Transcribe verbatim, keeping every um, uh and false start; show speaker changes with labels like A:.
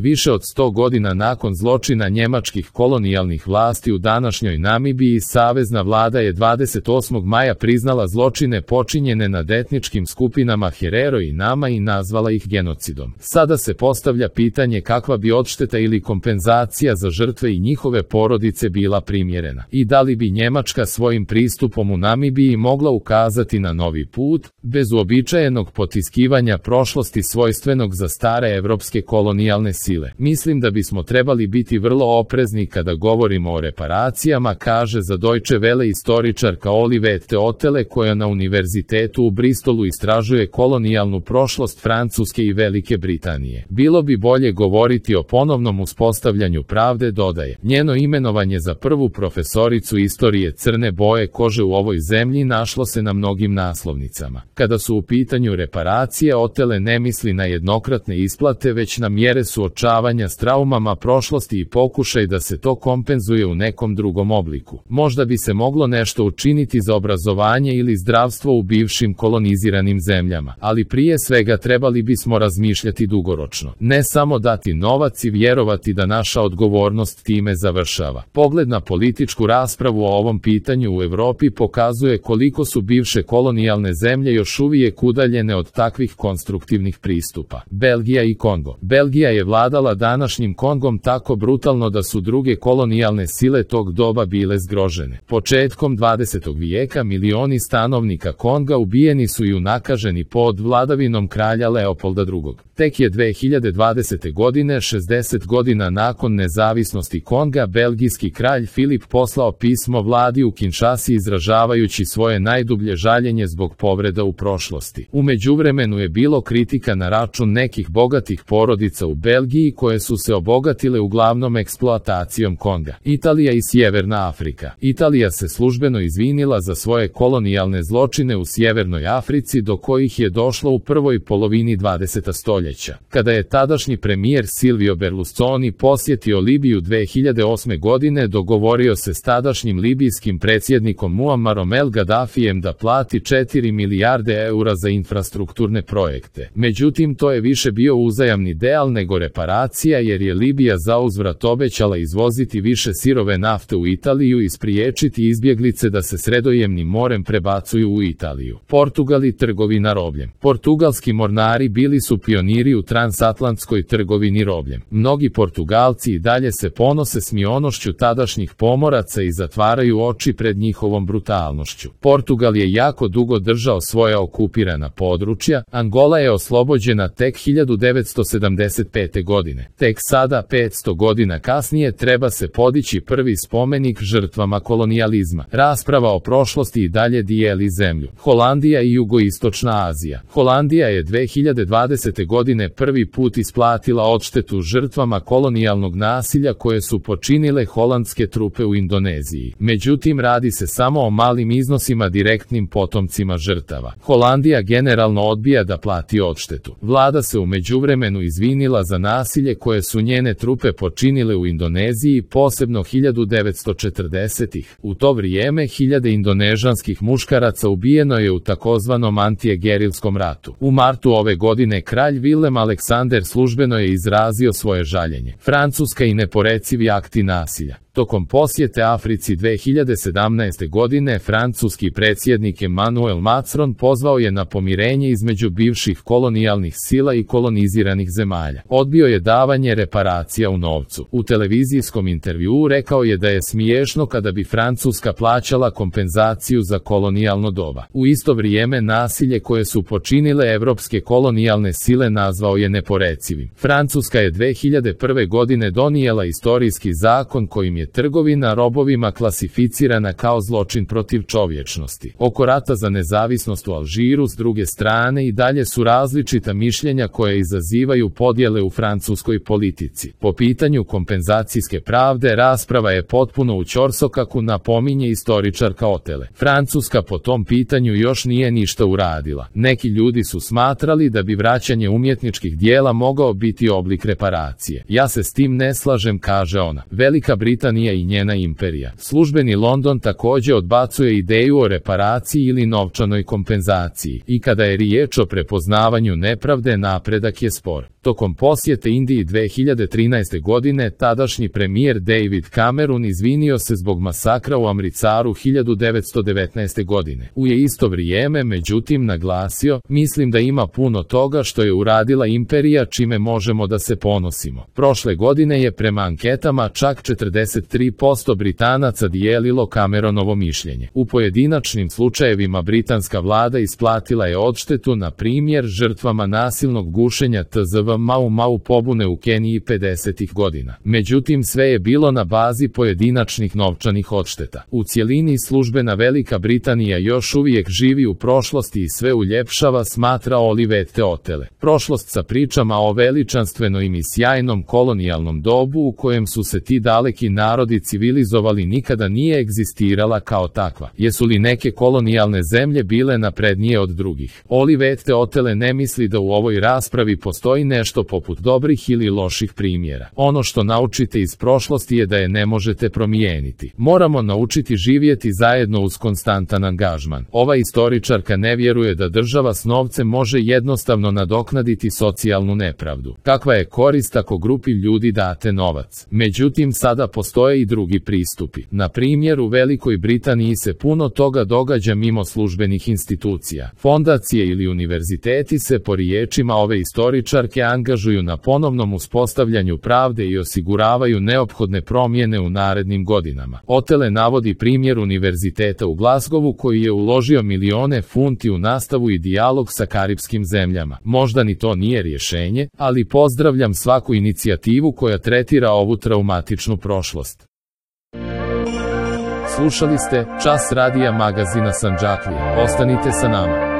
A: Više od sto godina nakon zločina njemačkih kolonijalnih vlasti u današnjoj Namibiji, savezna vlada je dvadeset osmog maja priznala zločine počinjene nad etničkim skupinama Herero i Nama i nazvala ih genocidom. Sada se postavlja pitanje kakva bi odšteta ili kompenzacija za žrtve i njihove porodice bila primjerena i da li bi Njemačka svojim pristupom u Namibiji mogla ukazati na novi put, bez uobičajenog potiskivanja prošlosti svojstvenog za stare evropske kolonijalne sile. Mislim da bismo trebali biti vrlo oprezni kada govorimo o reparacijama, kaže za Deutsche Welle istoričarka Olivette Otele koja na univerzitetu u Bristolu istražuje kolonijalnu prošlost Francuske i Velike Britanije. Bilo bi bolje govoriti o ponovnom uspostavljanju pravde, dodaje. Njeno imenovanje za prvu profesoricu istorije crne boje kože u ovoj zemlji našlo se na mnogim naslovnicama. Kada su u pitanju reparacije, Otele ne misli na jednokratne isplate, već na mjere suočavanja s traumama prošlosti i pokušaj da se to kompenzuje u nekom drugom obliku. Možda bi se moglo nešto učiniti za obrazovanje ili zdravstvo u bivšim koloniziranim zemljama, ali prije svega trebali bismo razmišljati dugoročno. Ne samo dati novac i vjerovati da naša odgovornost time završava. Pogled na političku raspravu o ovom pitanju u Europi pokazuje koliko su bivše kolonijalne zemlje još uvijek udaljene od takvih konstruktivnih pristupa. Belgija i Kongo. Belgija je vladala današnjim Kongom tako brutalno da su druge kolonijalne sile tog doba bile zgrožene. Početkom dvadesetog vijeka milioni stanovnika Konga ubijeni su i unakaženi pod vladavinom kralja Leopolda drugog. Tek je dve hiljade dvadesete godine, šezdeset godina nakon nezavisnosti Konga, belgijski kralj Filip poslao pismo vladi u Kinshasi izražavajući svoje najdublje žaljenje zbog povreda u prošlosti. U međuvremenu je bilo kritika na račun nekih bogatih porodica u Belgiji koje su se obogatile uglavnom eksploatacijom Konga. Italija i Sjeverna Afrika. Italija se službeno izvinila za svoje kolonijalne zločine u Sjevernoj Africi do kojih je došlo u prvoj polovini dvadesetog stoljeća. Kada je tadašnji premijer Silvio Berlusconi posjetio Libiju dve hiljade osme godine, dogovorio se s tadašnjim libijskim predsjednikom Muammarom el Gaddafijem da plati četiri milijarde eura za infrastrukturne projekte. Međutim, to je više bio uzajamni deal nego reparacija, jer je Libija zauzvrat obećala izvoziti više sirove nafte u Italiju i spriječiti izbjeglice da se Sredozemnim morem prebacuju u Italiju. Portugal i trgovina robljem. Portugalski mornari bili su pioniri u transatlantskoj trgovini robljem. Mnogi Portugalci i dalje se ponose smionošću tadašnjih pomoraca i zatvaraju oči pred njihovom brutalnošću. Portugal je jako dugo držao svoja okupirana područja. Angola je oslobođena tek hiljadu devetsto sedamdeset pete. godine. Tek sada, petsto godina kasnije, treba se podići prvi spomenik žrtvama kolonijalizma. Rasprava o prošlosti i dalje dijeli zemlju. Holandija i Jugoistočna Azija. Holandija je dve hiljade dvadesete. godine prvi put isplatila odštetu žrtvama kolonijalnog nasilja koje su počinile holandske trupe u Indoneziji. Međutim, radi se samo o malim iznosima direktnim potomcima žrtava. Holandija generalno odbija da plati odštetu. Vlada se u međuvremenu izvinila za nasilje koje su njene trupe počinile u Indoneziji, posebno hiljadu devetsto četrdesetih. U to vrijeme hiljade indonežanskih muškaraca ubijeno je u takozvanom antigerilskom ratu. U martu ove godine kralj Vilem Aleksander službeno je izrazio svoje žaljenje. Francuska i neporecivi akti nasilja. Tokom posjete Africi dve hiljade sedamnaeste. godine francuski predsjednik Emmanuel Macron pozvao je na pomirenje između bivših kolonijalnih sila i koloniziranih zemalja. Odbio je davanje reparacija u novcu. U televizijskom intervjuu rekao je da je smiješno kada bi Francuska plaćala kompenzaciju za kolonijalno doba. U isto vrijeme nasilje koje su počinile evropske kolonijalne sile nazvao je neporecivim. Francuska je dve hiljade prve. godine donijela istorijski zakon kojim je trgovina robovima klasificirana kao zločin protiv čovječnosti. Oko rata za nezavisnost u Alžiru s druge strane i dalje su različita mišljenja koje izazivaju podjele u francuskoj politici. Po pitanju kompenzacijske pravde rasprava je potpuno u ćorsokaku, napominje istoričarka Otele. Francuska po tom pitanju još nije ništa uradila. Neki ljudi su smatrali da bi vraćanje umjetničkih dijela mogao biti oblik reparacije. Ja se s tim ne slažem, kaže ona. Velika Britanija Britanija i njena imperija. Službeni London takođe odbacuje ideju o reparaciji ili novčanoj kompenzaciji. I kada je riječ o prepoznavanju nepravde, napredak je spor. Tokom posjete Indiji dve hiljade trinaeste. godine, tadašnji premijer David Cameron izvinio se zbog masakra u Amritsaru hiljadu devetsto devetnaeste. godine. U je isto vrijeme, međutim, naglasio, mislim da ima puno toga što je uradila imperija čime možemo da se ponosimo. Prošle godine je prema anketama čak četrdeset tri posto Britanaca dijelilo Cameronovo mišljenje. U pojedinačnim slučajevima britanska vlada isplatila je odštetu, na primjer, žrtvama nasilnog gušenja T Z V Mau Mau pobune u Keniji pedesetih godina. Međutim, sve je bilo na bazi pojedinačnih novčanih odšteta. U cjelini službena Velika Britanija još uvijek živi u prošlosti i sve uljepšava, smatra Olivet Teotele. Prošlost sa pričama o veličanstvenom i sjajnom kolonijalnom dobu u kojem su se ti daleki narodi civilizovali nikada nije egzistirala kao takva. Jesu li neke kolonijalne zemlje bile naprednije od drugih? Olivet Teotele ne misli da u ovoj raspravi postoji nešto poput dobrih ili loših primjera. Ono što naučite iz prošlosti je da je ne možete promijeniti. Moramo naučiti živjeti zajedno uz konstantan angažman. Ova istoričarka ne vjeruje da država s novcem može jednostavno nadoknaditi socijalnu nepravdu. Kakva je korist ako grupi ljudi date novac? Međutim, sada postoje i drugi pristupi. Na primjer, u Velikoj Britaniji se puno toga događa mimo službenih institucija. Fondacije ili univerziteti se, po riječima ove istoričarke, angažuju na ponovnom uspostavljanju pravde i osiguravaju neophodne promjene u narednim godinama. Otele navodi primjer univerziteta u Glasgowu koji je uložio milione funti u nastavu i dijalog sa karipskim zemljama. Možda ni to nije rješenje, ali pozdravljam svaku inicijativu koja tretira ovu traumatičnu prošlost. Slušali ste Čas radija magazina Sandžaklije. Ostanite sa nama.